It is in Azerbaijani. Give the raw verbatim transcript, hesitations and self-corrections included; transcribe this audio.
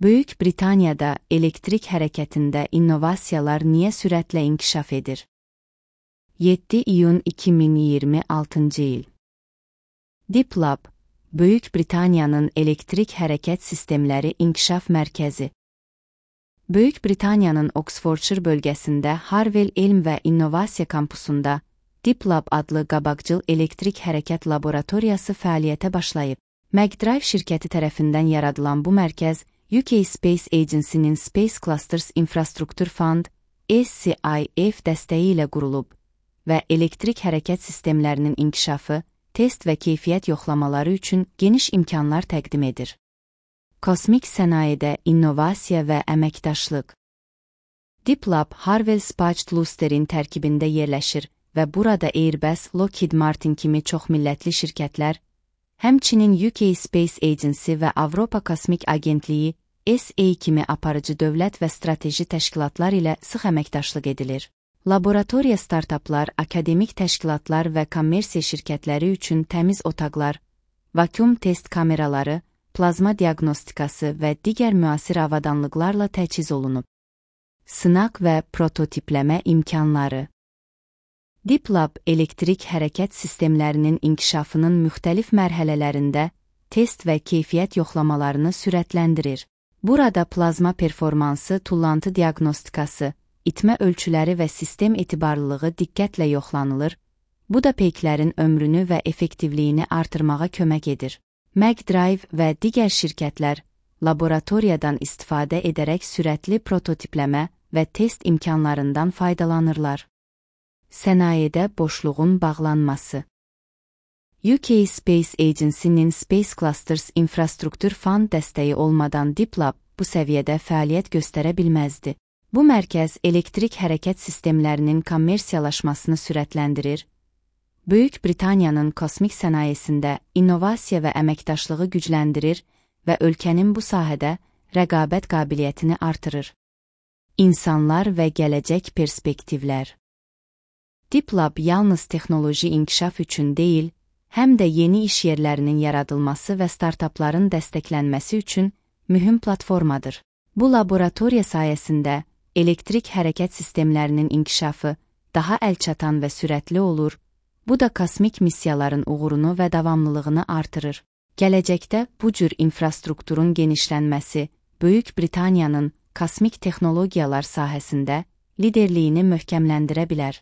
Böyük Britaniyada elektrik hərəkətində innovasiyalar niyə sürətlə inkişaf edir? yeddi iyun iki min iyirmi altıncı il. DeepLab, Böyük Britaniyanın elektrik hərəkət sistemləri inkişaf mərkəzi. Böyük Britaniyanın Oxfordshire bölgəsində Harwell Elm və İnnovasiya kampusunda DeepLab adlı qabaqcıl elektrik hərəkət laboratoriyası fəaliyyətə başlayıb. McDrive şirkəti tərəfindən yaradılan bu mərkəz, U K Space Agency-nin Space Clusters Infrastructure Fund (S C I F) dəstəyi ilə qurulub və elektrik hərəkət sistemlərinin inkişafı, test və keyfiyyət yoxlamaları üçün geniş imkanlar təqdim edir. Kosmik sənayedə innovasiya və əməkdaşlıq. DeepLab, Harwell Space Cluster-in tərkibində yerləşir və burada Airbus, Lockheed Martin kimi çoxmillətli şirkətlər, həmçinin U K Space Agency və Avropa Kosmik Agentliyi S A kimi aparıcı dövlət və strateji təşkilatlar ilə sıx əməkdaşlıq edilir. Laboratoriya startaplar, akademik təşkilatlar və kommersiya şirkətləri üçün təmiz otaqlar, vakuum test kameraları, plazma diaqnostikası və digər müasir avadanlıqlarla təchiz olunub. Sınaq və prototipləmə imkanları. DeepLab elektrik hərəkət sistemlərinin inkişafının müxtəlif mərhələlərində test və keyfiyyət yoxlamalarını sürətləndirir. Burada plazma performansı, tullantı diaqnostikası, itmə ölçüləri və sistem etibarlılığı diqqətlə yoxlanılır, bu da peyklərin ömrünü və effektivliyini artırmağa kömək edir. McDrive və digər şirkətlər laboratoriyadan istifadə edərək sürətli prototipləmə və test imkanlarından faydalanırlar. Sənayedə boşluğun bağlanması. U K Space Agency-nin Space Clusters Infrastructure Fund dəstəyi olmadan DeepLab bu səviyyədə fəaliyyət göstərə bilməzdi. Bu mərkəz elektrik hərəkət sistemlərinin kommersiyalaşmasını sürətləndirir, Böyük Britaniyanın kosmik sənayesində innovasiya və əməkdaşlığı gücləndirir və ölkənin bu sahədə rəqabət qabiliyyətini artırır. İnsanlar və gələcək perspektivlər. DeepLab yalnız texnoloji inkişaf üçün deyil, həm də yeni iş yerlərinin yaradılması və startapların dəstəklənməsi üçün mühüm platformadır. Bu laboratoriya sayəsində elektrik hərəkət sistemlərinin inkişafı daha əlçatan və sürətli olur, bu da kosmik missiyaların uğurunu və davamlılığını artırır. Gələcəkdə bu cür infrastrukturun genişlənməsi Böyük Britaniyanın kosmik texnologiyalar sahəsində liderliyini möhkəmləndirə bilər.